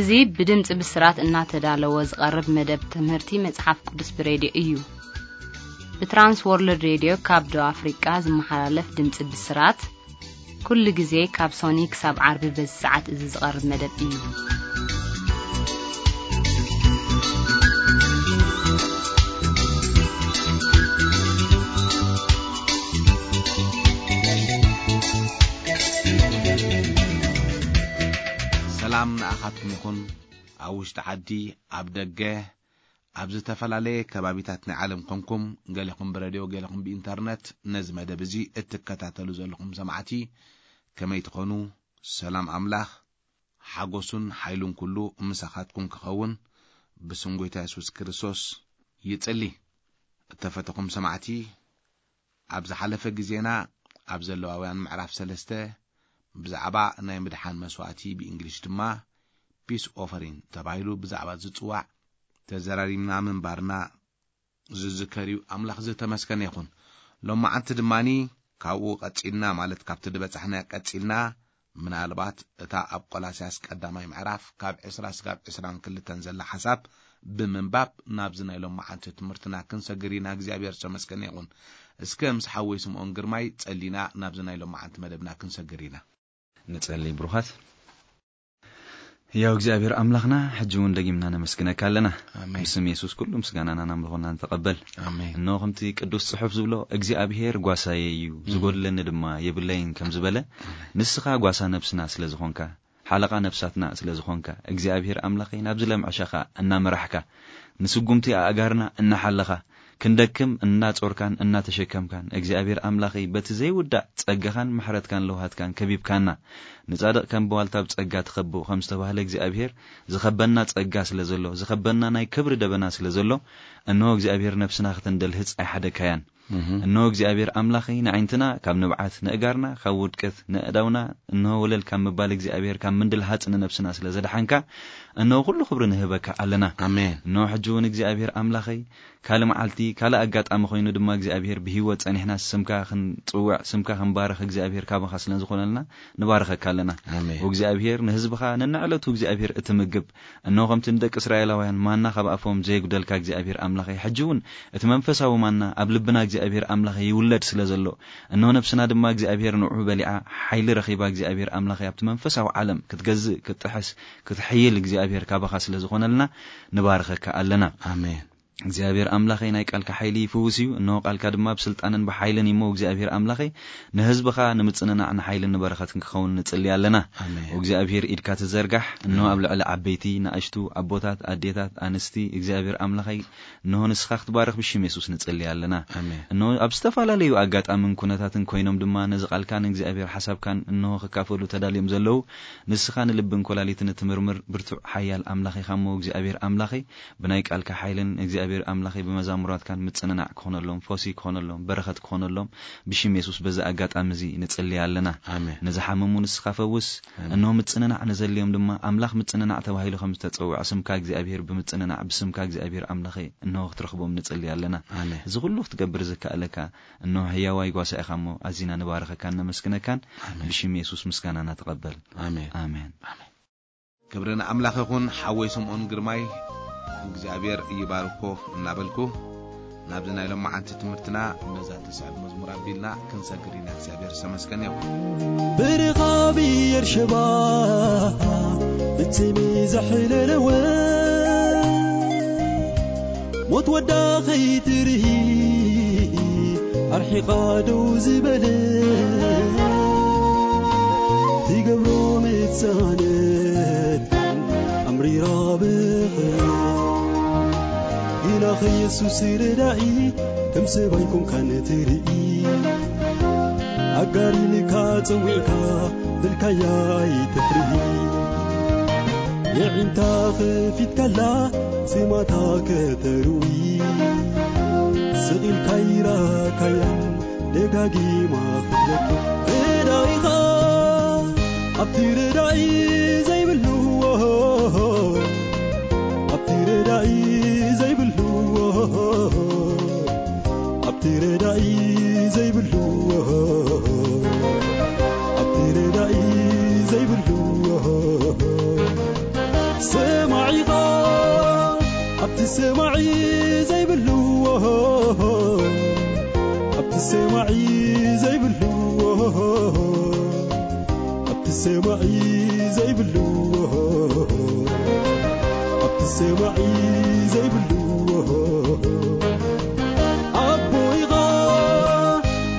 እዚ ብድምጺ ብስራት እናተዳለወ ዝቐርብ መደብ ትምህርቲ መጽሓፍ ቅዱስ ብሬድዮ እዩ። ብትራንስ ወርልድ ሬድዮ ካብ ደቡብ ኣፍሪቃ ዝመሓላለፍ ድምጺ ብስራት፣ ኩሉ ግዜ ካብ ሶኒ ክሳብ ዓርቢ በዚ ሰዓት እዚ ዝቐርብ መደብ እዩ። ሰላም ንኣኻትኩም ይኹን። ኣብ ውሽጢ ዓዲ፣ ኣብ ደገ፣ ኣብ ዝተፈላለየ ከባቢታት ናይ ዓለም ኮንኩም፣ ገሌኹም ብረድዮ፣ ገሌኹም ብኢንተርነት ነዚ መደብ እዚ እትከታተሉ ዘለኹም ሰማዕቲ፣ ከመይ ትኾኑ? ሰላም ኣምላኽ፣ ሓጎሱን ሓይሉን ኩሉ ምሳኻትኩም ክኸውን ብስም ጎይታ የሱስ ክርስቶስ ይጽሊ። እተፈተኹም ሰማዕቲ፣ ኣብ ዝሓለፈ ግዜና ኣብ ዘለዋውያን ምዕራፍ ሰለስተ ብዛዕባ ናይ ምድሓን መስዋእቲ፣ ብእንግሊሽ ድማ ፒስ ኦፈሪን ተባሂሉ ብዛዕባ ዝጽዋዕ ተዘራሪብና ምንባርና ዝዝከር እዩ። ኣምላኽ ዝተመስገነ ይኹን። ሎማዓንቲ ድማኒ ካብኡ ቀጺልና፣ ማለት ካብቲ ዝበጻሕና ቀጺልና፣ ምናልባት እታ ኣብ ቆላስያስ ቀዳማይ ምዕራፍ ካብ ዕስራ ስጋብ ዕስራን ክልተን ዘላ ሓሳብ ብምንባብ ናብዚ ናይ ሎማዓንቲ ትምህርትና ክንሰግር ኢና። እግዚኣብሔር ዝተመስገነ ይኹን። እስከ ምስ ሓወይ ስምዖን ግርማይ ጸሊና ናብዚ ናይ ሎማዓንቲ መደብና ክንሰግር ኢና። ንጸሊ። ብሩኻት ያው እግዚኣብሔር ኣምላኽና፣ ሕጂ እውን ደጊምና ነመስግነካ ኣለና። ኣሜን። ብስም የሱስ ኩሉ ምስጋናና ናምልኾና ንተቐበል። ኣሜን። እነሆ ከምቲ ቅዱስ ጽሑፍ ዝብሎ፣ እግዚኣብሔር ጓሳየ እዩ፣ እም። ዝጎድለኒ ድማ የብለይን ከም ዝበለ፣ ኣሜን። ንስኻ ጓሳ ነብስና ስለ ዝኾንካ፣ ሓለቓ ነብሳትና ስለ ዝኾንካ፣ እግዚኣብሔር ኣምላኸይ ናብዚ ለምዕሻኻ እናመራሕካ፣ ንስጉምቲ ኣእጋርና እናሓለኻ፣ ክንደክም እናጾርካን እናተሸከምካን፣ እግዚኣብሔር ኣምላኸይ በቲ ዘይውዳእ ጸጋኻን ምሕረትካን ለውሃትካን ከቢብካና፣ ንጻድቕ ከም ብዋልታ ብጸጋ ትኸብቦ ከም ዝተባህለ፣ እግዚኣብሔር ዝኸበና ጸጋ ስለ ዘሎ፣ ዝኸበና ናይ ክብሪ ደበና ስለ ዘሎ፣ እንሆ እግዚኣብሔር ነብስና ከተንደልህጽ ኣይሓደግካያን። እህ። እንሆ እግዚኣብሔር ኣምላኸይ ንኣዒንትና ካብ ንብዓት፣ ንእጋርና ካብ ውድቀት፣ ንእዳውና እንሆ ወለል ካብ ምባል እግዚኣብሔር ካብ ምንድልሃጽ ንነብስና ስለ ዘድሓንካ፣ እንሆ ኩሉ ክብሪ ንህበካ ኣለና። ኣሜን። እንሆ ሕጂ እውን እግዚኣብሔር ኣምላኸይ ካልእ መዓልቲ፣ ካልእ ኣጋጣሚ ኮይኑ ድማ እግዚኣብሔር ብህይወት ጸኒሕና ስምካ ክንጽውዕ፣ ስምካ ክንባርኽ እግዚኣብሔር ካባኻ ስለ ዝኾነልና ንባርኸካ ኣለና። ኣሜን። ወእግዚኣብሔር ንህዝብኻ ነንዕለቱ እግዚኣብሔር እትምግብ፣ እንሆ ከምቲ ንደቂ እስራኤላውያን ማና ካብ ኣፎም ዘየጉደልካ እግዚኣብሔር ኣምላኸይ፣ ሕጂ እውን እቲ መንፈሳዊ ማና ኣብ ልብና እግዚኣብሔር ኣምላኸይ ይውለድ ስለ ዘሎ፣ እንሆ ነብስና ድማ እግዚኣብሔር ንዑ በሊዓ ሓይሊ ረኺባ እግዚኣብሔር ኣምላኸይ ኣብቲ መንፈሳዊ ዓለም ክትገዝእ፣ ክትጥሕስ፣ ክትሕይል እግዚኣብሔር ካባኻ ስለ ዝኾነልና ንባርኸካ ኣለና። ኣሜን። እግዚኣብሔር ኣምላኸይ ናይ ቃልካ ሓይሊ ይፍውስ እዩ። እንሆ ቃልካ ድማ ብስልጣንን ብሓይልን እሞ እግዚኣብሔር ኣምላኸይ ንህዝብኻ ንምጽንናዕ ንሓይልን ንበረኸትን ክኸውን ንጽሊ ኣለና። ኣሜን። እግዚኣብሔር ኢድካ ትዘርጋሕ። እንሆ ኣብ ልዕሊ ዓበይቲ፣ ንኣሽቱ፣ ኣቦታት፣ ኣዴታት፣ ኣንስቲ እግዚኣብሔር ኣምላኸይ እንሆ ንስኻ ክትባርኽ ብሽም የሱስ ንጽሊ ኣለና። ኣሜን። እንሆ ኣብ ዝተፈላለዩ ኣጋጣምን ኩነታትን ኮይኖም ድማ ነዚ ቃልካ ንእግዚኣብሔር ሓሳብካን እንሆ ክካፈሉ ተዳልዮም ዘለዉ ንስኻ ንልብን ኮላሊትን እትምርምር ብርቱዕ ሓያል ኣምላኽ ኢኻ እሞ እግዚኣብሔር ኣምላኸይ ብናይ ቃልካ ሓይልን እግዚኣብሔር ኣምላኸይ ብመዛሙራትካን ምጽንናዕ ክኾነሎም፣ ፈውሲ ክኾነሎም፣ በረኸት ክኾነሎም ብሽም የሱስ በዚ ኣጋጣሚ እዚ ንጽሊ ኣለና። ኣሜን። ንዝሓመሙ ንስኻ ፈውስ። ኣሜን። እንሆ ምጽንናዕ ንዘልዮም ድማ ኣምላኽ ምጽንናዕ ተባሂሉ ከም ዝተጸውዐ ስምካ እግዚኣብሔር ብምጽንናዕ ብስምካ እግዚኣብሔር ኣምላኸይ እንሆ ክትረኽቦም ንጽሊ ኣለና። ኣሜን። እዚ ኩሉ ክትገብር ዝከኣለካ እንሆ ህያዋይ ጓሳ ኢኻ እሞ ኣዚና ንባረኸካን ነመስግነካን። ኣሜን። ብሽም የሱስ ምስጋናና ተቐበል። ኣሜን። ኣሜን። ኣሜን። ክብሪ ንኣምላኽ ይኹን። ሓወይ ስምዖን ግርማይ እግዚኣብሔር ይባርኮ እናበልኩ ናብዚ ናይ ሎማዓንቲ ትምህርትና በዛ ትስዕብ መዝሙር ኣቢልና ክንሰግር ኢና። እግዚኣብሔር ዝተመስገነ ይኹን። ብርኻብ የርሸባ ብትሚ ዘሕለለወ ሞት ወዳ ኸይትርኢ ኣርሒቓ ደው ዝበለ ትገብሮ ምጻነት ኣምሪራ ብኽነት ግና ኸየሱስ ረዳኢ ከም ሰብ ኣይኮንካን ትርኢ ኣጋሪልካ ጸዊዕካ ብልካያ ይትፍርሂ የዒንታ ኸፊትካላ ስማታ ከተርዊ ስቕ ኢልካ ይራካያን ደጋጊማ ክትለኪ ረዳኢኻ ኣብቲ ረዳኢ ዘይብሉ ኣብቲ ረዳኢ ዘይብሉ ኣብቲ ረዳኢ ዘይብሉ ኣብቲ ረዳኢ ዘይብሉ ሰማዒ ዘይብሉ፣ ኣብቲ ሰማዒ ዘይብሉ፣ ኣብቲ ሰማዒ ዘይብሉ፣ ኣቦይኻ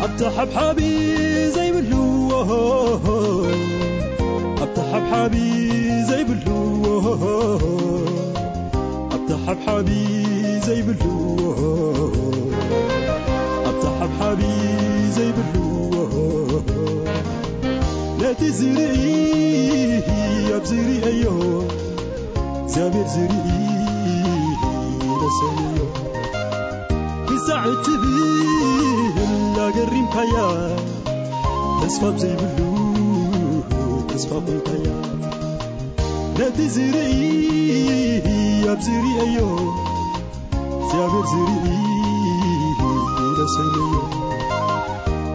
ኣብቲ ሓብሓቢ ዘይብሉ፣ ኣብቲ ሓብሓቢ ዘይብሉ፣ ኣብቲ ሓብሓቢ ዘይብሉ፣ ኣብቲ ሓብሓቢ ዘይብሉ፣ ነቲ ዝርኢ ኣብ ዝርእዮ፣ እግዚኣብሔር ዝርኢ ይነሰንዮ። ክሳዕ እትብል ኣገሪምካያ፣ ተስፋ ኣብ ዘይብሉ ተስፋ ኮይንካያ። ነቲ ዝርኢ ኣብ ዝርእዮ፣ እግዚኣብሔር ዝርኢ ይነሰንዮ።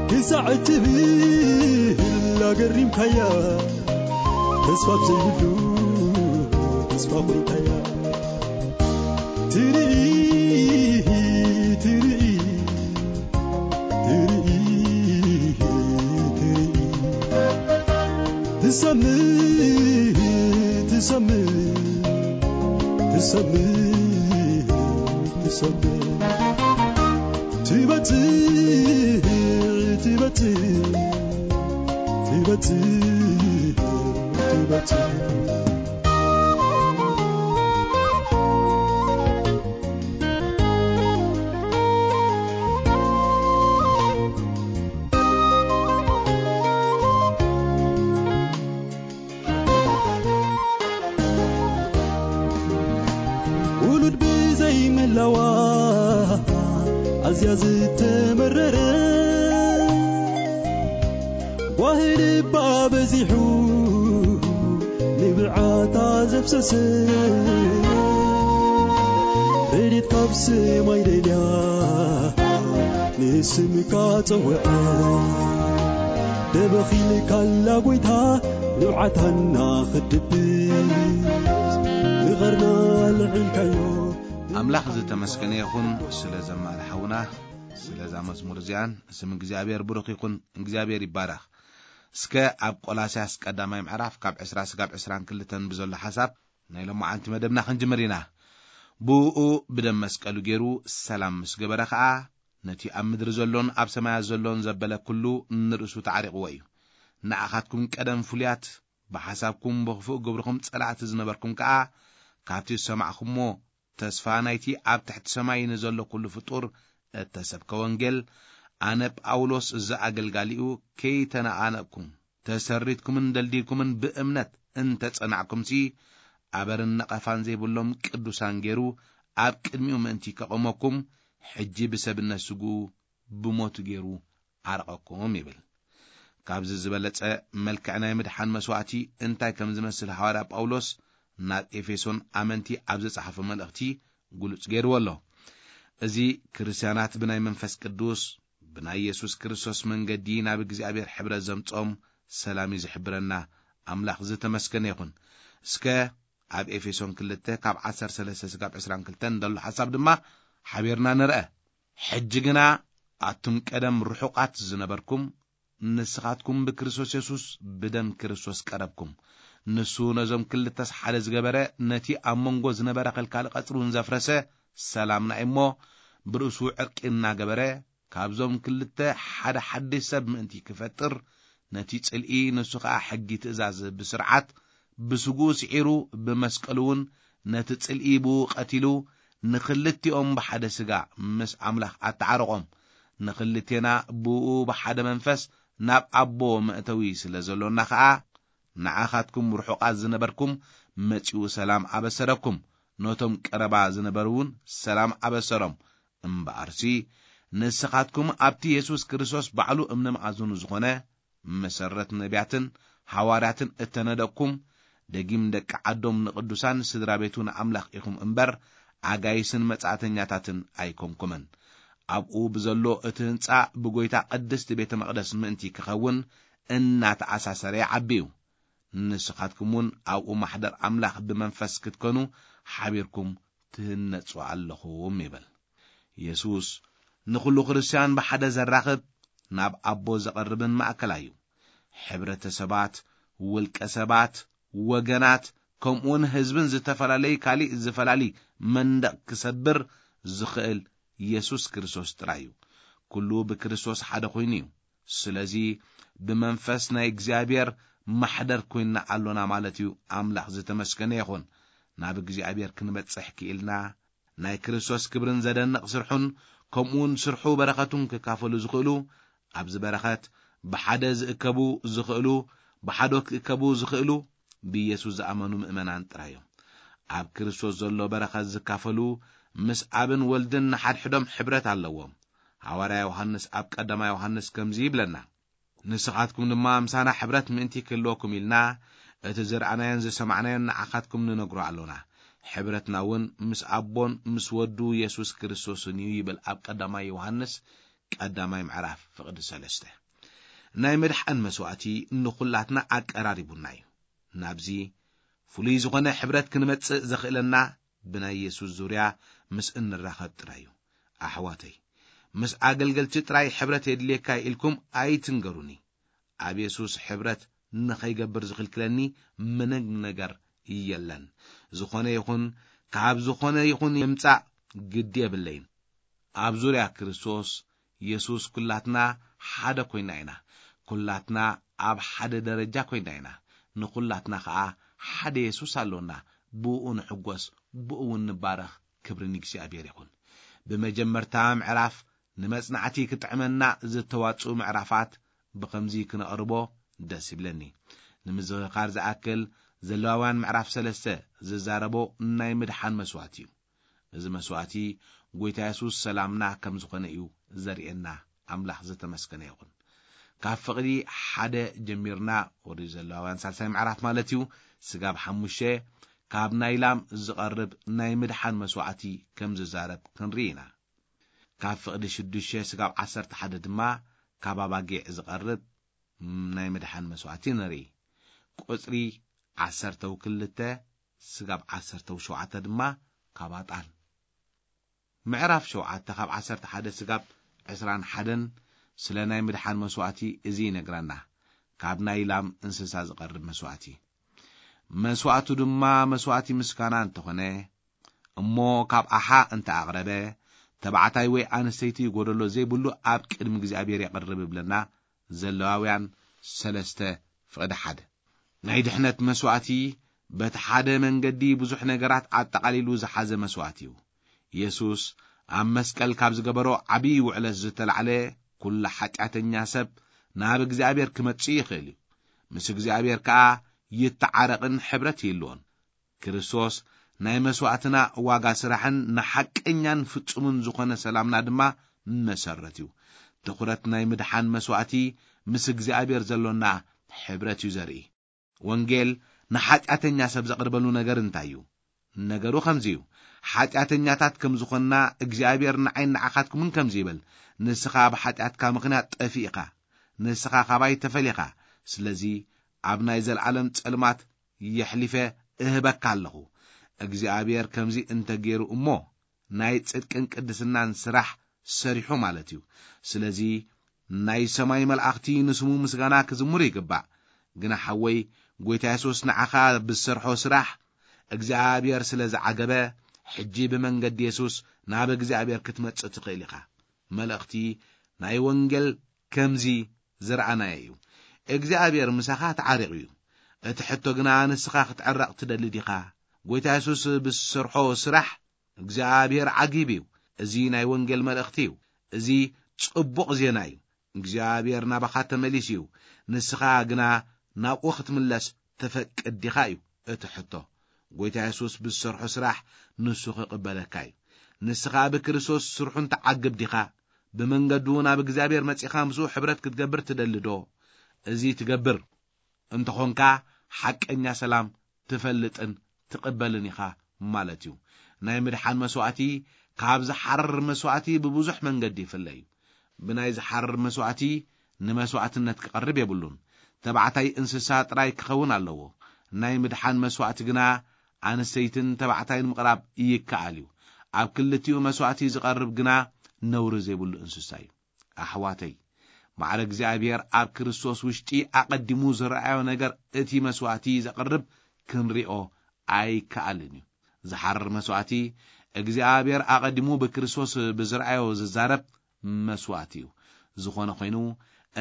ክሳዕ እትብል ኣገሪምካያ፣ ተስፋ ኣብ ዘይብሉ ተስፋ ኮይንካያ። ትርኢ፣ ትርኢ፣ ትርኢ፣ ትርኢ፣ ትሰምዕ፣ ትሰምዕ፣ ትሰምዕ፣ ትሰምዕ፣ ትበጽሕ፣ ትበጽሕ፣ ትበጽሕ፣ ትበጽሕ። ውሉድ ብዘይምህላዋ ኣዝያ ዝተመረረ፣ ጓሂ ልባ በዚሑ ንብዓታ ዘፍሰሰ፣ ረድኤት ካብ ሰማይ ደልያ ንስምካ ጸውዐ። ደበኺልካላ ጎይታ ንብዓታና ክድብስ፣ ንቐርና ልዒልካዮ። ኣምላኽ ዝተመስገነ ይኹን ስለ ዘማሪ ሓውና፣ ስለዛ መዝሙር እዚኣን። ስም እግዚኣብሔር ብሩኽ ይኹን። እግዚኣብሔር ይባረኽ። እስከ ኣብ ቆላስያስ ቀዳማይ ምዕራፍ ካብ ዕስራ ስጋብ ዕስራን ክልተን ብዘሎ ሓሳብ ናይ ሎማዓንቲ መደብና ክንጅምር ኢና። ብእኡ ብደም መስቀሉ ገይሩ ሰላም ምስ ገበረ ኸኣ፣ ነቲ ኣብ ምድሪ ዘሎን ኣብ ሰማያት ዘሎን ዘበለ ኩሉ ንርእሱ ተዓሪቕዎ እዩ። ንኣኻትኩም ቀደም ፍሉያት፣ ብሓሳብኩም ብኽፉእ ግብርኹም ጸላእቲ ዝነበርኩም ከኣ፣ ካብቲ ዝሰማዕኩሞ ተስፋ ናይቲ ኣብ ትሕቲ ሰማይ ንዘሎ ኩሉ ፍጡር እተሰብከ ወንጌል፣ ኣነ ጳውሎስ ዝኣገልጋሊኡ ከይተነቓነቕኩም፣ ተሰሪትኩምን ደልዲልኩምን ብእምነት እንተጸናዕኩምሲ፣ ኣበርን ነቐፋን ዘይብሎም ቅዱሳን ገይሩ ኣብ ቅድሚኡ ምእንቲ ከቐመኩም፣ ሕጂ ብሰብነት ስግኡ ብሞቱ ገይሩ ዓረቐኩም ይብል። ካብዚ ዝበለጸ መልክዕ ናይ ምድሓን መስዋእቲ እንታይ ከም ዝመስል ሃዋርያ ጳውሎስ ናብ ኤፌሶን ኣመንቲ ኣብ ዝጸሓፎ መልእኽቲ ግሉጽ ገይርዎ ኣሎ። እዚ ክርስትያናት ብናይ መንፈስ ቅዱስ፣ ብናይ የሱስ ክርስቶስ መንገዲ ናብ እግዚኣብሔር ሕብረት ዘምጽኦም ሰላም እዩ ዝሕብረና። ኣምላኽ ዝተመስገነ ይኹን። እስከ ኣብ ኤፌሶን ክልተ ካብ ዓሰርተ ሰለስተ ስጋብ ዕስራን ክልተን ዘሎ ሓሳብ ድማ ሓቢርና ንርአ። ሕጂ ግና ኣቱም ቀደም ርሑቓት ዝነበርኩም፣ ንስኻትኩም ብክርስቶስ የሱስ ብደም ክርስቶስ ቀረብኩም። ንሱ ነዞም ክልተስ ሓደ ዝገበረ፣ ነቲ ኣብ መንጎ ዝነበረ ከልካሊ ቀጽሪ እውን ዘፍረሰ፣ ሰላምና እሞ ብርእሱ ዕርቂ እናገበረ፣ ካብዞም ክልተ ሓደ ሓድሽ ሰብ ምእንቲ ክፈጥር፣ ነቲ ጽልኢ፣ ንሱ ኸኣ ሕጊ ትእዛዝ ብስርዓት ብስግኡ ስዒሩ፣ ብመስቀሉ እውን ነቲ ጽልኢ ብኡ ቀቲሉ፣ ንኽልቲኦም ብሓደ ስጋ ምስ ኣምላኽ ኣተዓረቖም። ንኽልቴና ብኡ ብሓደ መንፈስ ናብ ኣቦ መእተዊ ስለ ዘሎና ኸኣ፣ ንዓኻትኩም ርሑቓት ዝነበርኩም መጺኡ ሰላም ኣበሰረኩም፣ ነቶም ቀረባ ዝነበሩ እውን ሰላም ኣበሰሮም። እምበኣርሲ ንስኻትኩም ኣብቲ የሱስ ክርስቶስ ባዕሉ እምነ መኣዝኑ ዝኾነ፣ መሰረት ነቢያትን ሃዋርያትን እተነደቅኩም፣ ደጊም ደቂ ዓዶም ንቕዱሳን ስድራ ቤቱ ንኣምላኽ ኢኹም እምበር፣ ኣጋይስን መጻእተኛታትን ኣይኮንኩምን። ኣብኡ ብዘሎ እቲ ህንጻ ብጎይታ ቅድስቲ ቤተ መቕደስ ምእንቲ ክኸውን እናተኣሳሰረ ይዓቢ እዩ። ንስኻትኩም እውን ኣብኡ ማሕደር ኣምላኽ ብመንፈስ ክትኮኑ ሓቢርኩም ትህነጹ ኣለኹም ይብል። የሱስ ንኹሉ ክርስትያን ብሓደ ዘራኽብ፣ ናብ ኣቦ ዘቐርብን ማእከላይ እዩ። ሕብረተሰባት፣ ውልቀ ሰባት፣ ወገናት፣ ከምኡውን ህዝብን ዝተፈላለዩ ካሊእ ዝፈላሊ መንደቕ ክሰብር ዝኽእል የሱስ ክርስቶስ ጥራይ እዩ። ኩሉ ብክርስቶስ ሓደ ኮይኑ እዩ። ስለዚ ብመንፈስ ናይ እግዚኣብሔር ማሕደር ኮይንና ኣሎና ማለት እዩ። ኣምላኽ ዝተመስገነ ይኹን። ናብ እግዚኣብሔር ክንበጽሕ ክኢልና ናይ ክርስቶስ ክብርን ዘደንቕ ስርሑን ከምኡውን ስርሑ በረኸቱን ክካፈሉ ዝኽእሉ ኣብዚ በረኸት ብሓደ ዝእከቡ ዝኽእሉ ብሓዶ ክእከቡ ዝኽእሉ ብኢየሱስ ዝኣመኑ ምእመናን ጥራይ እዮም። ኣብ ክርስቶስ ዘሎ በረኸት ዝካፈሉ ምስ ኣብን ወልድን ንሓድሕዶም ሕብረት ኣለዎም። ሃዋርያ ዮሃንስ ኣብ ቀዳማይ ዮሃንስ ከምዚ ይብለና፣ ንስኻትኩም ድማ ምሳና ሕብረት ምእንቲ ክህልወኩም ኢልና እቲ ዝረኣናዮን ዝሰማዕናዮን ንዓኻትኩም ንነግሮ ኣሎና። ሕብረትና እውን ምስ ኣቦን ምስ ወዱ የሱስ ክርስቶስን እዩ ይብል ኣብ ቀዳማይ ዮሃንስ ቀዳማይ ምዕራፍ ፍቕዲ ሰለስተ። ናይ ምድሓን መስዋእቲ ንኹላትና ኣቀራሪቡና እዩ። ናብዚ ፍሉይ ዝኾነ ሕብረት ክንመጽእ ዘኽእለና ብናይ የሱስ ዙርያ ምስ እንራኸብ ጥራይ እዩ። ኣሕዋተይ፣ ምስ ኣገልገልቲ ጥራይ ሕብረት የድልየካ ኢልኩም ኣይትንገሩኒ። ኣብ የሱስ ሕብረት ንኸይገብር ዝኽልክለኒ ምንም ነገር የለን። ዝኾነ ይኹን ካብ ዝኾነ ይኹን ይምጻእ ግዲ የብለይን። ኣብ ዙርያ ክርስቶስ የሱስ ኩላትና ሓደ ኮይና ኢና። ኩላትና ኣብ ሓደ ደረጃ ኮይና ኢና። ንኹላትና ኸኣ ሓደ የሱስ ኣሎና። ብእኡ ንሕጎስ፣ ብእኡ እውን ንባረኽ። ክብሪ ንእግዚኣብሔር ይኹን። ብመጀመርታ ምዕራፍ ንመጽናዕቲ ክጥዕመና ዝተዋጽኡ ምዕራፋት ብኸምዚ ክነቕርቦ ደስ ይብለኒ። ንምዝኽኻር ዝኣክል ዘለዋውያን ምዕራፍ ሰለስተ ዝዛረቦ ናይ ምድሓን መስዋእቲ እዩ። እዚ መስዋእቲ ጎይታ የሱስ ሰላምና ከም ዝኾነ እዩ ዘርእየና። ኣምላኽ ዝተመስገነ ይኹን። ካብ ፍቕዲ ሓደ ጀሚርና ወዲ ዘለዋውያን ሳልሳይ ምዕራፍ ማለት እዩ። ስጋብ ሓሙሽተ ካብ ናይ ላም ዝቐርብ ናይ ምድሓን መስዋዕቲ ከም ዝዛረብ ክንርኢ ኢና። ካብ ፍቕዲ ሽዱሽተ ስጋብ ዓሰርተ ሓደ ድማ ካብ ኣባጊዕ ዝቐርብ ናይ ምድሓን መስዋዕቲ ንርኢ። ቁጽሪ ዓሰርተው ክልተ ስጋብ ዓሰርተው ሸውዓተ ድማ ካብ ኣጣል። ምዕራፍ ሸውዓተ ካብ ዓሰርተ ሓደ ስጋብ ዕስራን ሓደን ስለ ናይ ምድሓን መስዋዕቲ እዚ ይነግረና። ካብ ናይ ላም እንስሳ ዝቐርብ መስዋዕቲ። መስዋዕቱ ድማ መስዋዕቲ ምስጋና እንተኾነ፣ እሞ ካብ ኣሓ እንተ ኣቕረበ፣ ተባዕታይ ወይ ኣንስተይቲ ጎደሎ ዘይብሉ ኣብ ቅድሚ እግዚኣብሔር የቕርብ እብለና ዘለዋውያን ሰለስተ ፍቕዲ ሓደ። ናይ ድሕነት መስዋዕቲ በቲ ሓደ መንገዲ ብዙሕ ነገራት ኣጠቓሊሉ ዝሓዘ መስዋዕቲ እዩ። የሱስ ኣብ መስቀል ካብ ዝገበሮ ዓብዪ ውዕለት ዝተላዕለ፣ ኩሉ ሓጢኣተኛ ሰብ ናብ እግዚኣብሔር ክመጽእ ይኽእል እዩ። ምስ እግዚኣብሔር ከኣ ይተዓረቕን ሕብረት ይህልዎን። ክርስቶስ ናይ መስዋዕትና ዋጋ ስራሕን ንሓቀኛን ፍጹምን ዝኾነ ሰላምና ድማ መሰረት እዩ። ትኹረት ናይ ምድሓን መስዋዕቲ ምስ እግዚኣብሔር ዘሎና ሕብረት እዩ ዘርኢ። ወንጌል ንሓጢኣተኛ ሰብ ዘቕርበሉ ነገር እንታይ እዩ? ነገሩ ከምዚ እዩ። ሓጢኣተኛታት ከም ዝኾንና እግዚኣብሔር ንዓይን ንዓኻትኩምን ከምዚ ይብል፣ ንስኻ ብሓጢኣትካ ምኽንያት ጠፊእኻ፣ ንስኻ ካባይ ተፈሊኻ፣ ስለዚ ኣብ ናይ ዘለዓለም ጸልማት የሕሊፈ እህበካ ኣለኹ። እግዚኣብሔር ከምዚ እንተ ገይሩ እሞ ናይ ጽድቅን ቅድስናን ስራሕ ሰሪሑ ማለት እዩ። ስለዚ ናይ ሰማይ መላእኽቲ ንስሙ ምስጋና ክዝምሩ ይግባእ። ግና ሓወይ፣ ጎይታ የሱስ ንዓኻ ብዝሰርሖ ስራሕ እግዚኣብሔር ስለ ዝዓገበ፣ ሕጂ ብመንገዲ የሱስ ናብ እግዚኣብሔር ክትመጽእ ትኽእል ኢኻ። መልእኽቲ ናይ ወንጌል ከምዚ ዝረኣናዮ እዩ። እግዚኣብሔር ምሳኻ ተዓሪቑ እዩ። እቲ ሕቶ ግና ንስኻ ክትዕረቕ ትደሊ ዲኻ? ጎይታ የሱስ ብዝሰርሖ ስራሕ እግዚኣብሔር ዓጊቡ እዩ። እዚ ናይ ወንጌል መልእኽቲ እዩ። እዚ ጽቡቕ ዜና እዩ። እግዚኣብሔር ናባኻ ተመሊሱ እዩ። ንስኻ ግና ናብኡ ክትምለስ ትፈቅድ ዲኻ እዩ እቲ ሕቶ። ጎይታ የሱስ ብዝሰርሖ ስራሕ ንሱ ክቕበለካ እዩ። ንስኻ ብክርስቶስ ስርሑ እንትዓግብ ዲኻ? ብመንገዱ ናብ እግዚኣብሔር መጺኻ ምስኡ ሕብረት ክትገብር ትደሊ ዶ? እዚ ትገብር እንተኾንካ ሓቀኛ ሰላም ትፈልጥን ትቕበልን ኢኻ ማለት እዩ። ናይ ምድሓን መስዋዕቲ ካብ ዝሓርር መስዋዕቲ ብብዙሕ መንገዲ ይፍለ እዩ። ብናይ ዝሓርር መስዋዕቲ ንመስዋዕትነት ክቐርብ የብሉን። ተባዕታይ እንስሳ ጥራይ ክኸውን ኣለዎ። ናይ ምድሓን መስዋዕቲ ግና ኣንስተይትን ተባዕታይን ምቕራብ ይከኣል እዩ። ኣብ ክልቲኡ መስዋዕቲ ዝቐርብ ግና ነውሪ ዘይብሉ እንስሳ እዩ። ኣሕዋተይ፣ ማዕረ እግዚኣብሔር ኣብ ክርስቶስ ውሽጢ ኣቐዲሙ ዝረኣዮ ነገር እቲ መስዋእቲ ዘቕርብ ክንሪኦ ኣይከኣልን እዩ። ዝሓርር መስዋእቲ እግዚኣብሔር ኣቐዲሙ ብክርስቶስ ብዝረኣዮ ዝዛረብ መስዋእቲ እዩ። ዝኾነ ኮይኑ፣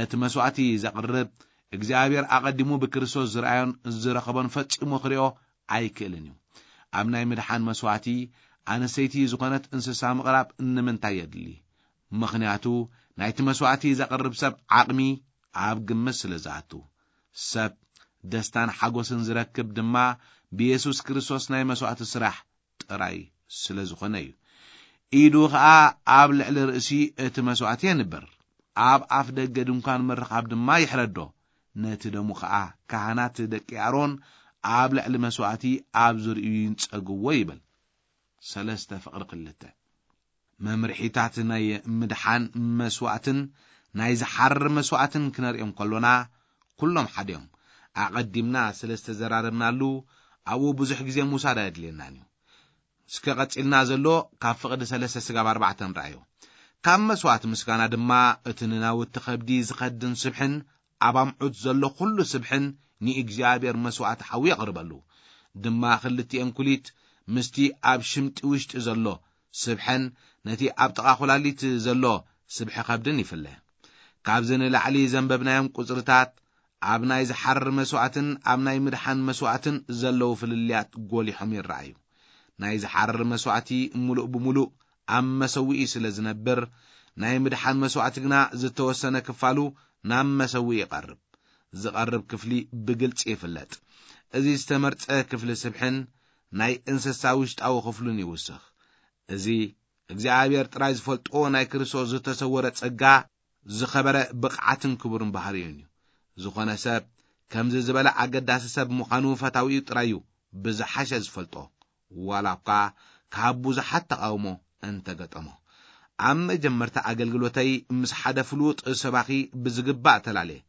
እቲ መስዋእቲ ዘቕርብ እግዚኣብሔር ኣቐዲሙ ብክርስቶስ ዝረኣዮን ዝረኸቦን ፈጺሙ ክሪኦ ኣይክእልን እዩ። ኣብ ናይ ምድሓን መስዋእቲ ኣንስተይቲ ዝኾነት እንስሳ ምቕራብ ንምንታይ የድሊ? ምኽንያቱ ናይቲ መስዋእቲ ዘቕርብ ሰብ ዓቕሚ ኣብ ግምት ስለ ዝኣቱ። ሰብ ደስታን ሓጎስን ዝረክብ ድማ ብየሱስ ክርስቶስ ናይ መስዋእቲ ስራሕ ጥራይ ስለ ዝኾነ እዩ። ኢዱ ኸኣ ኣብ ልዕሊ ርእሲ እቲ መስዋእቲ የንብር፣ ኣብ ኣፍ ደገ ድንኳን ምርኻብ ድማ ይሕረዶ። ነቲ ደሙ ኸኣ ካህናት ደቂ ኣሮን ኣብ ልዕሊ መስዋእቲ ኣብ ዝርእዩ ይንጸግዎ ይብል። ሰለስተ ፍቕሪ ክልተ። መምርሒታት ናይ ምድሓን መስዋእትን ናይ ዝሓርር መስዋእትን ክነርእዮም ከሎና፣ ኩሎም ሓደ እዮም። ኣቐዲምና ስለ ዝተዘራረብናሉ፣ ኣብኡ ብዙሕ ግዜ ምውሳድ ኣየድልየናን እዩ። እስከ ቀጺልና ዘሎ ካብ ፍቕዲ ሰለስተ ስጋብ ኣርባዕተ ንረኣዮ። ካብ መስዋእቲ ምስጋና ድማ እቲ ንናውቲ ከብዲ ዝኸድን ስብሕን ኣብ ኣምዑት ዘሎ ኩሉ ስብሕን ንእግዚኣብሔር መስዋእቲ ሓዊ የቕርበሉ። ድማ ክልቲኤን ኩሊት ምስቲ ኣብ ሽምጢ ውሽጢ ዘሎ ስብሐን ነቲ ኣብ ጥቓ ኩላሊት ዘሎ ስብሐ ከብድን ይፍለ። ካብዚ ንላዕሊ ዘንበብናዮም ቁጽርታት ኣብ ናይ ዝሓርር መስዋእትን ኣብ ናይ ምድሓን መስዋእትን ዘለዉ ፍልልያት ጎሊሖም ይረኣዩ። ናይ ዝሓርር መስዋእቲ ምሉእ ብምሉእ ኣብ መሰውኢ ስለ ዝነብር፣ ናይ ምድሓን መስዋእቲ ግና ዝተወሰነ ክፋሉ ናብ መሰውኢ ይቐርብ። ዝቐርብ ክፍሊ ብግልጺ ይፍለጥ። እዚ ዝተመርጸ ክፍሊ ስብሕን ናይ እንስሳ ውሽጣዊ ክፍሉን ይውስኽ። እዚ እግዚኣብሔር ጥራይ ዝፈልጦ ናይ ክርስቶስ ዝተሰወረ ጸጋ፣ ዝኸበረ ብቕዓትን ክቡርን ባህርዩን እዩ። ዝኾነ ሰብ ከምዚ ዝበለ ኣገዳሲ ሰብ ምዃኑ ፈታዊኡ ጥራይ እዩ ብዝሓሸ ዝፈልጦ፣ ዋላ እኳ ካብ ብዙሓት ተቓውሞ እንተገጠሞ። ኣብ መጀመርታ ኣገልግሎተይ ምስ ሓደ ፍሉጥ ሰባኺ ብዝግባእ ተላልየ።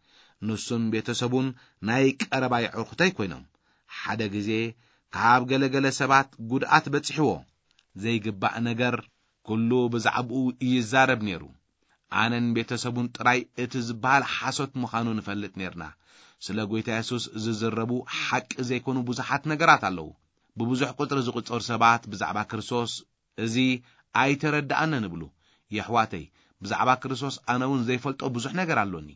ንሱን ቤተሰቡን ናይ ቀረባ የዕሩኽተይ ኮይኖም። ሓደ ግዜ ካብ ገለገለ ሰባት ጉድኣት በጺሕዎ። ዘይግባእ ነገር ኩሉ ብዛዕባኡ ይዛረብ ነይሩ። ኣነን ቤተሰቡን ጥራይ እቲ ዝበሃል ሓሶት ምዃኑ ንፈልጥ ነይርና። ስለ ጐይታ የሱስ ዝዝረቡ ሓቂ ዘይኮኑ ብዙሓት ነገራት ኣለዉ። ብብዙሕ ቁጽሪ ዝቑጸሩ ሰባት ብዛዕባ ክርስቶስ እዚ ኣይተረድኣንን ይብሉ። የሕዋተይ፣ ብዛዕባ ክርስቶስ ኣነ እውን ዘይፈልጦ ብዙሕ ነገር ኣሎኒ።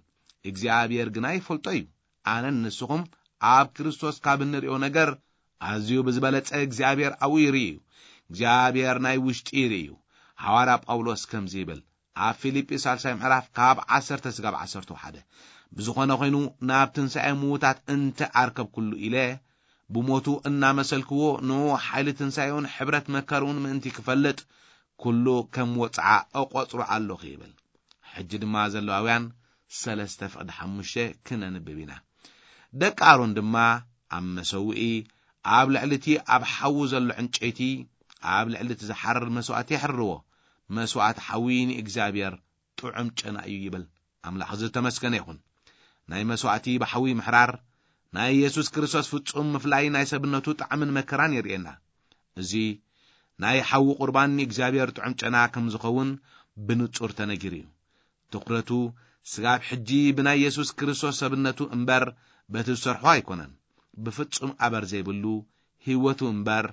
እግዚኣብሔር ግና ይፈልጦ እዩ። ኣነን ንስኹም ኣብ ክርስቶስ ካብ እንርእዮ ነገር ኣዝዩ ብዝበለጸ እግዚኣብሔር ኣብኡ ይርኢ እዩ። እግዚኣብሔር ናይ ውሽጢ ይርኢ እዩ። ሃዋርያ ጳውሎስ ከምዚ ይብል፣ ኣብ ፊልጲ ሳልሳይ ምዕራፍ ካብ ዓሰርተ ስጋብ ዓሰርተ ሓደ፣ ብዝኾነ ኮይኑ ናብ ትንሳኤ ምዉታት እንተ ኣርከብኩሉ ኢለ ብሞቱ እናመሰልክዎ ንኡ ሓይሊ ትንሳኤኡን ሕብረት መከርኡን ምእንቲ ክፈልጥ ኩሉ ከም ወጽዓ እቆጽሮ ኣለኹ ይብል። ሕጂ ድማ ዘለዋውያን ሰለስተ ፍቕዲ ሓሙሽተ ክነንብብ ኢና። ደቂ ኣሮን ድማ ኣብ መሰውኢ ኣብ ልዕሊ እቲ ኣብ ሓዊ ዘሎ ዕንጨይቲ ኣብ ልዕሊ እቲ ዝሓርር መስዋእቲ የሕርርዎ። መስዋእቲ ሓዊ ንእግዚኣብሔር ጥዑም ጨና እዩ ይብል። ኣምላኽ ዝተመስገነ ይኹን። ናይ መስዋእቲ ብሓዊ ምሕራር ናይ የሱስ ክርስቶስ ፍጹም ምፍላይ ናይ ሰብነቱ ጣዕምን መከራን የርእየና። እዚ ናይ ሓዊ ቁርባን ንእግዚኣብሔር ጥዑም ጨና ከም ዝኸውን ብንጹር ተነጊሩ እዩ። ትኹረቱ ስጋብ ሕጂ ብናይ የሱስ ክርስቶስ ሰብነቱ እምበር በቲ ዝሰርሖ ኣይኮነን። ብፍጹም ኣበር ዘይብሉ ህይወቱ እምበር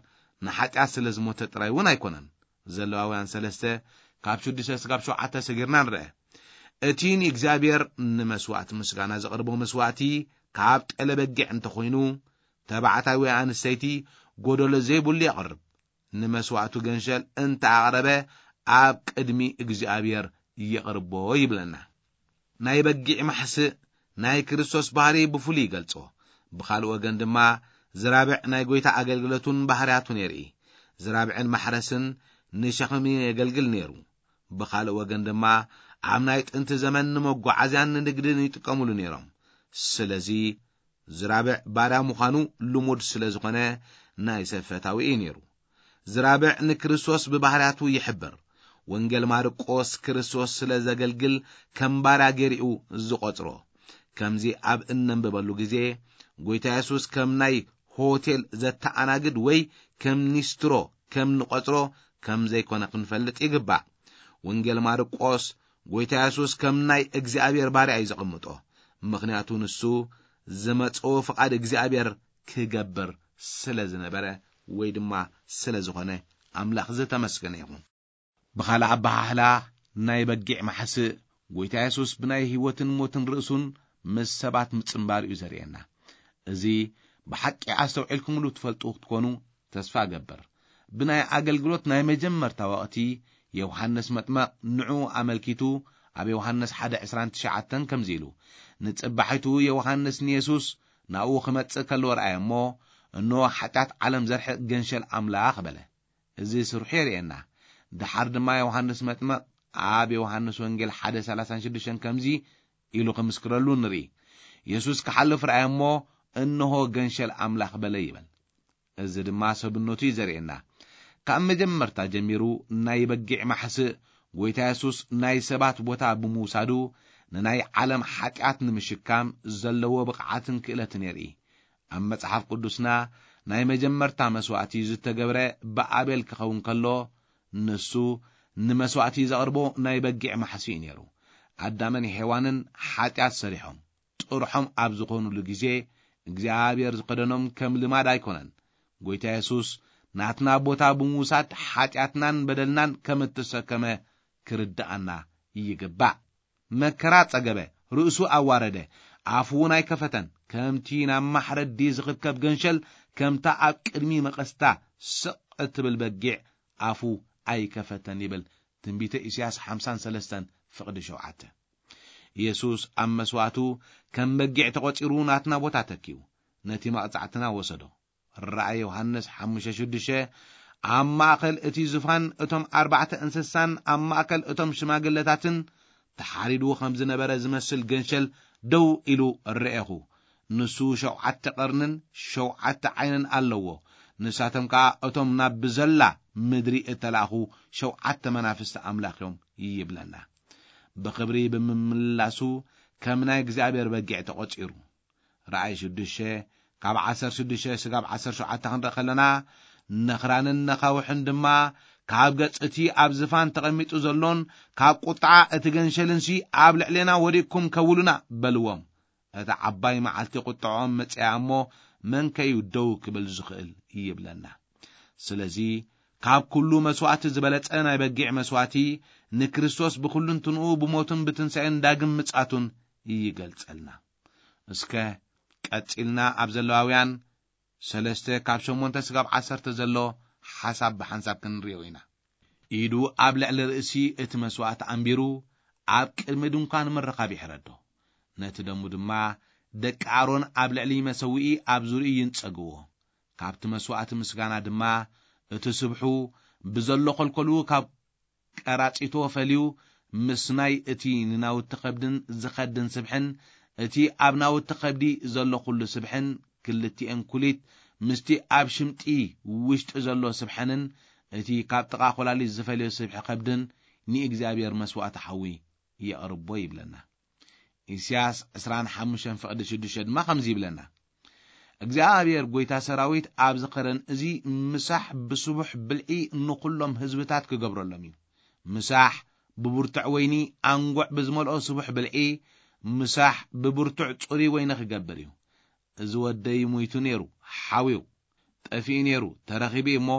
ንሓጢኣት ስለ ዝሞተ ጥራይ እውን ኣይኮነን። ዘለዋውያን ሰለስተ ካብ ሽዱሽተ ስጋብ ሸውዓተ ሰጊርና ንርአ። እቲ ንእግዚኣብሔር ንመስዋእቲ ምስጋና ዘቕርቦ መስዋእቲ ካብ ጠለ በጊዕ እንተኾይኑ፣ ተባዕታይ ወይ ኣንስተይቲ ጎደሎ ዘይብሉ የቕርብ። ንመስዋእቱ ገንሸል እንተ ኣቕረበ ኣብ ቅድሚ እግዚኣብሔር የቕርቦ ይብለና። ናይ በጊዕ ማሕስእ ናይ ክርስቶስ ባህሪ ብፍሉይ ይገልጾ። ብኻልእ ወገን ድማ ዝራብዕ ናይ ጐይታ ኣገልግሎቱን ባህርያቱን የርኢ። ዝራብዕን ማሕረስን ንሸኽሚ የገልግል ነይሩ። ብኻልእ ወገን ድማ ኣብ ናይ ጥንቲ ዘመን ንመጓዓዝያን ንንግድን ይጥቀሙሉ ነይሮም። ስለዚ ዝራብዕ ባርያ ምዃኑ ልሙድ ስለ ዝኾነ ናይ ሰብ ፈታዊ እዩ ነይሩ። ዝራብዕ ንክርስቶስ ብባህርያቱ ይሕብር። ወንጌል ማርቆስ ክርስቶስ ስለ ዘገልግል ከም ባርያ ገይሩ እዩ ዝቖጽሮ። ከምዚ ኣብ እነንብበሉ ግዜ፣ ጐይታ የሱስ ከም ናይ ሆቴል ዘተኣናግድ ወይ ከም ኒስትሮ ከም ንቖጽሮ ከም ዘይኮነ ክንፈልጥ ይግባእ። ወንጌል ማርቆስ ጎይታ የሱስ ከም ናይ እግዚኣብሔር ባርያ እዩ ዘቐምጦ። ምኽንያቱ ንሱ ዝመጽኦ ፍቓድ እግዚኣብሔር ክገብር ስለ ዝነበረ ወይ ድማ ስለ ዝኾነ ኣምላኽ ዝተመስገነ ይኹን። ብኻልእ ኣበሃህላ ናይ በጊዕ ማሕስእ ጎይታ የሱስ ብናይ ህይወትን ሞትን ርእሱን ምስ ሰባት ምጽንባር እዩ ዘርእየና። እዚ ብሓቂ ኣስተውዒልኩምሉ ትፈልጡ ክትኮኑ ተስፋ እገብር። ብናይ ኣገልግሎት ናይ መጀመርታ ወቕቲ ዮሃንስ መጥመቕ ንዑ ኣመልኪቱ ኣብ ዮሃንስ ሓደ ዕስራን ትሽዓተን ከምዚ ኢሉ፣ ንጽባሒቱ ዮሃንስ ንየሱስ ናብኡ ክመጽእ ከሎ ረኣየ እሞ፣ እንሆ ሓጢኣት ዓለም ዘርሕቕ ገንሸል ኣምላኽ በለ። እዚ ስርሑ የርእየና። ደሓር ድማ ዮሃንስ መጥመቕ ኣብ ዮሃንስ ወንጌል ሓደ ሰላሳን ሽዱሽተን ከምዚ ኢሉ ክምስክረሉ ንርኢ። የሱስ ክሓልፍ ረኣየ እሞ፣ እንሆ ገንሸል ኣምላኽ በለ ይበል። እዚ ድማ ሰብነቱ እዩ ዘርእየና። ካብ መጀመርታ ጀሚሩ ናይ በጊዕ ማሕስእ ጎይታ የሱስ ናይ ሰባት ቦታ ብምውሳዱ ንናይ ዓለም ሓጢኣት ንምሽካም ዘለዎ ብቕዓትን ክእለትን የርኢ። ኣብ መጽሓፍ ቅዱስና ናይ መጀመርታ መስዋእቲ ዝተገብረ ብኣቤል ክኸውን ከሎ፣ ንሱ ንመስዋእቲ ዘቕርቦ ናይ በጊዕ ማሕስእ እዩ ነይሩ። ኣዳምን ሔዋንን ሓጢኣት ሰሪሖም ጥርሖም ኣብ ዝኾኑሉ ግዜ፣ እግዚኣብሔር ዝኸደኖም ከም ልማድ ኣይኮነን። ጎይታ የሱስ ናትና ቦታ ብምውሳድ ሓጢኣትናን በደልናን ከም እተሰከመ ክርድኣና ይግባእ። መከራ ጸገበ፣ ርእሱ ኣዋረደ፣ ኣፉ እውን ኣይከፈተን። ከምቲ ናብ ማሕረዲ ዝኽብከብ ገንሸል፣ ከምታ ኣብ ቅድሚ መቐስታ ስቕ እትብል በጊዕ ኣፉ ኣይከፈተን ይብል ትንቢተ ኢሳያስ ሓምሳን ሰለስተን ፍቕዲ ሸውዓተ። ኢየሱስ ኣብ መስዋእቱ ከም በጊዕ ተቖጺሩ ናትና ቦታ ተኪኡ፣ ነቲ መቕጻዕትና ወሰዶ። ራእይ ዮሃንስ ሓሙሽተ ሽዱሽተ፣ ኣብ ማእከል እቲ ዙፋን እቶም ኣርባዕተ እንስሳን ኣብ ማእከል እቶም ሽማግለታትን ተሓሪዱ ከም ዝነበረ ዝመስል ገንሸል ደው ኢሉ ርኤኹ። ንሱ ሸውዓተ ቀርንን ሸውዓተ ዓይንን ኣለዎ። ንሳቶም ከኣ እቶም ናብ ብዘላ ምድሪ እተላእኹ ሸውዓተ መናፍስቲ ኣምላኽ እዮም ይብለና። ብኽብሪ ብምምላሱ ከም ናይ እግዚኣብሔር በጊዕ ተቖጺሩ። ራእይ ሽዱሽተ ካብ ዓሰርተ ሽዱሽተ ስጋብ ዓሰርተ ሸውዓተ ክንርኢ ከለና፣ ነኽራንን ነኻውሕን ድማ ካብ ገጽ እቲ ኣብ ዝፋን ተቐሚጡ ዘሎን ካብ ቁጥዓ እቲ ገንሸልንሲ ኣብ ልዕሌና ወዲቅኩም ከውሉና በልዎም። እታ ዓባይ መዓልቲ ቁጥዖም መጽያ እሞ መን ከዩ ደው ክብል ዝኽእል ይብለና። ስለዚ ካብ ኩሉ መስዋእቲ ዝበለጸ ናይ በጊዕ መስዋእቲ ንክርስቶስ ብኹልንትንኡ ብሞቱን ብትንሳኤን ዳግም ምጻቱን ይገልጸልና። እስከ ቀጺልና ኣብ ዘለዋውያን ሰለስተ ካብ ሸሞንተ ስጋብ ዓሰርተ ዘሎ ሓሳብ ብሓንሳብ ክንሪኦ ኢና። ኢዱ ኣብ ልዕሊ ርእሲ እቲ መስዋእቲ ኣንቢሩ ኣብ ቅድሚ ድንኳን ምርኻብ ይሕረዶ። ነቲ ደሙ ድማ ደቂ ኣሮን ኣብ ልዕሊ መሰውኢ ኣብ ዙርኡ ይንጸግዎ። ካብቲ መስዋእቲ ምስጋና ድማ እቲ ስብሑ ብዘሎ ኾልኮሉ ካብ ቀራጺቶ ፈልዩ ምስ ናይ እቲ ንናውቲ ከብድን ዝኸድን ስብሕን እቲ ኣብ ናውቲ ከብዲ ዘሎ ኩሉ ስብሕን ክልቲኤን ኩሊት ምስቲ ኣብ ሽምጢ ውሽጢ ዘሎ ስብሐንን እቲ ካብ ጥቓ ኮላሊት ዝፈልዮ ስብሒ ከብድን ንእግዚኣብሔር መስዋእቲ ሓዊ የቕርቦ ይብለና። ኢሳያስ ዕስራን ሓሙሽተን ፍቕዲ ሽዱሽተ ድማ ከምዚ ይብለና፣ እግዚኣብሔር ጎይታ ሰራዊት ኣብዚ ኸረን እዚ ምሳሕ ብስቡሕ ብልዒ ንኹሎም ህዝብታት ክገብረሎም እዩ። ምሳሕ ብብርቱዕ ወይኒ ኣንጉዕ ብዝመልኦ ስቡሕ ብልዒ፣ ምሳሕ ብብርቱዕ ጽሩይ ወይኒ ክገብር እዩ። እዚ ወደይ ሞይቱ ነይሩ፣ ሓውዩ፣ ጠፊኡ ነይሩ፣ ተረኺቡ እዩ እሞ፣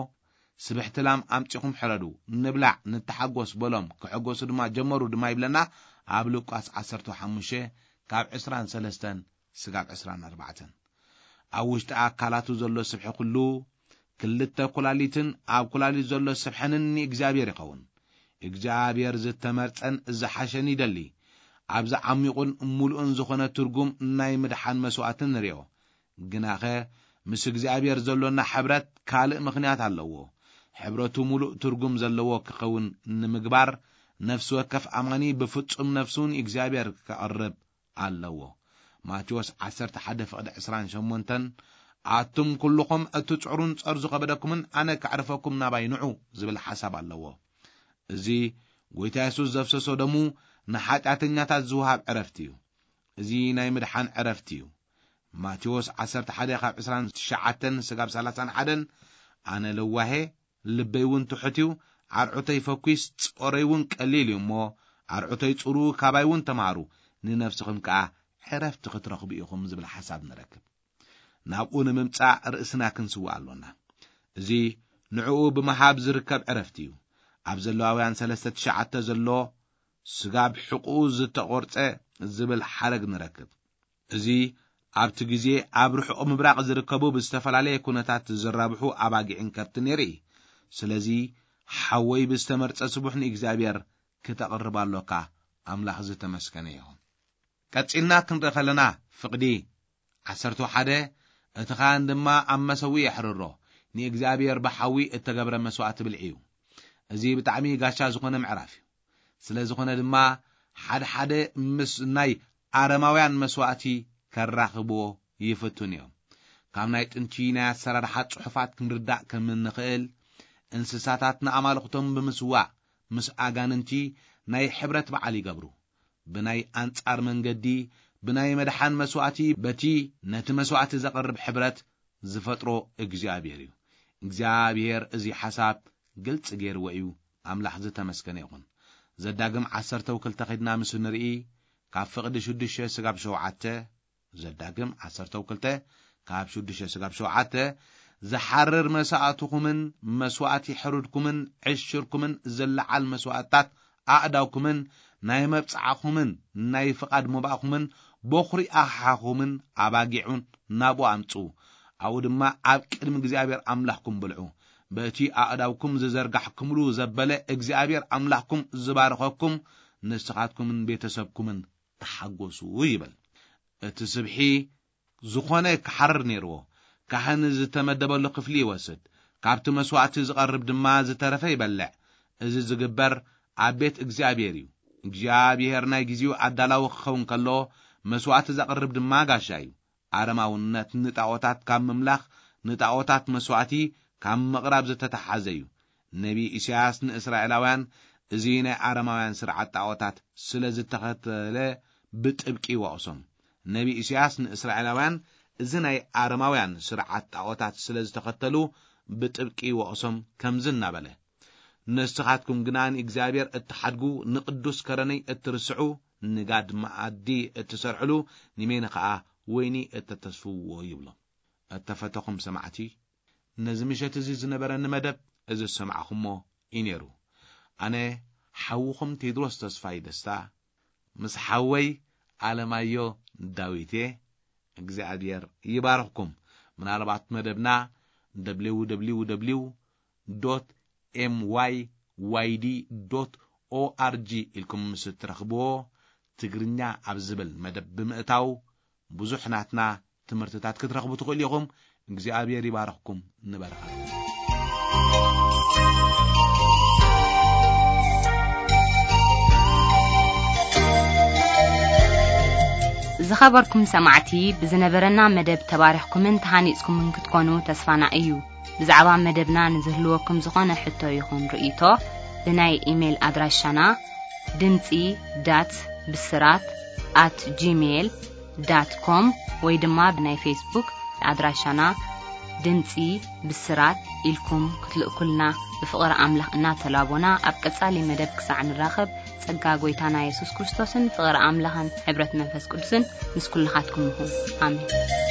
ስብሕቲ ላም ኣምጺኹም ሕረዱ፣ ንብላዕ፣ ንተሓጎስ በሎም፣ ክሕጎሱ ድማ ጀመሩ ድማ ይብለና ኣብ ሉቃስ ዓሰርተ ሓሙሽተ ካብ ዕስራን ሰለስተን ስጋብ ዕስራን ኣርባዕተን። ኣብ ውሽጢ ኣካላቱ ዘሎ ስብሒ ኩሉ፣ ክልተ ኩላሊትን ኣብ ኩላሊት ዘሎ ስብሐንን ንእግዚኣብሔር ይኸውን። እግዚኣብሔር ዝተመርጸን ዝሓሸን ይደሊ። ኣብዚ ዓሚቑን ምሉእን ዝኾነ ትርጉም ናይ ምድሓን መስዋእቲ ንርእዮ። ግናኸ ምስ እግዚኣብሔር ዘሎና ሕብረት ካልእ ምኽንያት ኣለዎ። ሕብረቱ ምሉእ ትርጉም ዘለዎ ክኸውን ንምግባር ነፍሲ ወከፍ ኣማኒ ብፍጹም ነፍሱ ንእግዚኣብሔር ከቕርብ ኣለዎ። ማቴዎስ ዓሰርተ ሓደ ፍቕዲ ዕስራን ሸሞንተን፣ ኣቱም ኩልኹም እትጽዕሩን ጸር ዝኸበደኩምን ኣነ ከዕርፈኩም ናባይ ንዑ ዝብል ሓሳብ ኣለዎ። እዚ ጎይታ የሱስ ዘፍሰሶ ደሙ ንሓጢኣተኛታት ዝወሃብ ዕረፍቲ እዩ። እዚ ናይ ምድሓን ዕረፍቲ እዩ። ማቴዎስ ዓሰርተ ሓደ ካብ ዕስራን ትሽዓተን ስጋብ ሰላሳን ሓደን፣ ኣነ ለዋሄ፣ ልበይ እውን ትሑት እዩ፣ ኣርዑተይ ፈኲስ፣ ጾረይ እውን ቀሊል እዩ እሞ፣ ኣርዑተይ ጽሩ፣ ካባይ እውን ተምሃሩ፣ ንነፍስኹም ከኣ ዕረፍቲ ክትረኽቡ ኢኹም ዝብል ሓሳብ ንረክብ። ናብኡ ንምምጻእ ርእስና ክንስውእ ኣሎና። እዚ ንዕኡ ብምሃብ ዝርከብ ዕረፍቲ እዩ። ኣብ ዘለዋውያን ሰለስተ ትሽዓተ ዘሎ ስጋብ ሕቕኡ ዝተቖርጸ ዝብል ሓረግ ንረክብ። እዚ ኣብቲ ግዜ ኣብ ርሑቕ ምብራቕ ዝርከቡ ብዝተፈላለየ ኩነታት ዝራብሑ ኣባጊዕን ከብትን የርኢ። ስለዚ ሓወይ ብዝተመርጸ ስቡሕ ንእግዚኣብሔር ክተቕርብ ኣሎካ። ኣምላኽ ዝተመስገነ ይኹን። ቀጺልና ክንርኢ ከለና ፍቕዲ ዓሰርተ ሓደ እቲ ካህን ድማ ኣብ መሰዊ የሕርሮ፣ ንእግዚኣብሔር ብሓዊ እተገብረ መስዋእቲ ብልዒ እዩ። እዚ ብጣዕሚ ጋሻ ዝኾነ ምዕራፍ እዩ። ስለ ዝኾነ ድማ ሓደ ሓደ ምስ ናይ ኣረማውያን መስዋእቲ ከራኽብዎ ይፍቱን እዮም። ካብ ናይ ጥንቲ ናይ ኣሰራርሓ ጽሑፋት ክንርዳእ ከም እንኽእል፣ እንስሳታት ንኣማልኽቶም ብምስዋእ ምስ ኣጋንንቲ ናይ ሕብረት በዓል ይገብሩ። ብናይ ኣንጻር መንገዲ፣ ብናይ መድሓን መስዋእቲ፣ በቲ ነቲ መስዋእቲ ዘቕርብ ሕብረት ዝፈጥሮ እግዚኣብሔር እዩ። እግዚኣብሔር እዚ ሓሳብ ግልጽ ገይርዎ እዩ። ኣምላኽ ዝተመስገነ ይኹን። ዘዳግም ዓሰርተ ክልተ ኸድና ምስ ንርኢ፣ ካብ ፍቕዲ ሽዱሽተ ስጋብ ሸውዓተ፣ ዘዳግም ዓሰርተ ክልተ ካብ ሽዱሽተ ስጋብ ሸውዓተ፣ ዝሓርር መስዋእትኹምን መስዋእቲ ሕሩድኩምን ዕሽርኩምን ዝለዓል መስዋእትታት ኣእዳውኩምን ናይ መብጽዓኹምን ናይ ፍቓድ መባእኹምን በኹሪ ኣኽሓኹምን ኣባጊዑን ናብኡ ኣምጽኡ። ኣብኡ ድማ ኣብ ቅድሚ እግዚኣብሔር ኣምላኽኩም ብልዑ። በቲ ኣእዳውኩም ዝዘርጋሕኩምሉ ዘበለ እግዚኣብሔር ኣምላኽኩም ዝባርኸኩም ንስኻትኩምን ቤተሰብኩምን ተሓጎሱ ይብል። እቲ ስብሒ ዝኾነ ክሓርር ነይርዎ። ካህን ዝተመደበሉ ክፍሊ ይወስድ፣ ካብቲ መስዋእቲ ዝቐርብ ድማ ዝተረፈ ይበልዕ። እዚ ዝግበር ኣብ ቤት እግዚኣብሔር እዩ። እግዚኣብሔር ናይ ግዜኡ ኣዳላዊ ክኸውን ከሎ፣ መስዋእቲ ዘቕርብ ድማ ጋሻ እዩ። ኣረማውነት ንጣዖታት ካብ ምምላኽ፣ ንጣዖታት መስዋእቲ ካብ ምቕራብ ዝተተሓዘ እዩ። ነቢ ኢሳያስ ንእስራኤላውያን እዚ ናይ ኣረማውያን ስርዓት ጣዖታት ስለ ዝተኸተለ ብጥብቂ ይወቕሶም። ነቢ ኢሳያስ ንእስራኤላውያን እዚ ናይ ኣረማውያን ስርዓት ጣዖታት ስለ ዝተኸተሉ ብጥብቂ ይወቕሶም ከምዚ እናበለ፣ ንስኻትኩም ግና ንእግዚኣብሔር እትሓድጉ፣ ንቅዱስ ከረነይ እትርስዑ፣ ንጋድ መኣዲ እትሰርዕሉ፣ ንሜነ ኸኣ ወይኒ እተተስፍዎ ይብሎም። እተፈተኹም ሰማዕቲ፣ ነዚ ምሸት እዚ ዝነበረኒ መደብ እዚ ዝሰማዕኹሞ እዩ ነይሩ። ኣነ ሓውኹም ቴድሮስ ተስፋይ ደስታ ምስ ሓወይ ኣለማዮ ዳዊት እየ። እግዚኣብሔር ይባርኽኩም። ምናልባት መደብና www myyd org ኢልኩም ምስ እትረኽብዎ፣ ትግርኛ ኣብ ዝብል መደብ ብምእታው ብዙሕ ናትና ትምህርትታት ክትረኽቡ ትኽእሉ ኢኹም። እግዚኣብሔር ይባርኽኩም። ንበርኸት። ዝኸበርኩም ሰማዕቲ፣ ብዝነበረና መደብ ተባሪኽኩምን ተሃኒጽኩምን ክትኮኑ ተስፋና እዩ። ብዛዕባ መደብና ንዝህልወኩም ዝኾነ ሕቶ ይኹን ርእይቶ፣ ብናይ ኢሜይል ኣድራሻና ድምጺ ዳት ብስራት ኣት ጂሜይል ዳት ኮም ወይ ድማ ብናይ ፌስቡክ ኣድራሻና ድምጺ ብስራት ኢልኩም ክትልእኩልና ብፍቕሪ ኣምላኽ እናተላቦና፣ ኣብ ቀጻሊ መደብ ክሳዕ ንራኸብ፣ ጸጋ ጐይታና የሱስ ክርስቶስን ፍቕሪ ኣምላኽን ሕብረት መንፈስ ቅዱስን ምስ ኩልኻትኩም ይኹን። ኣሜን።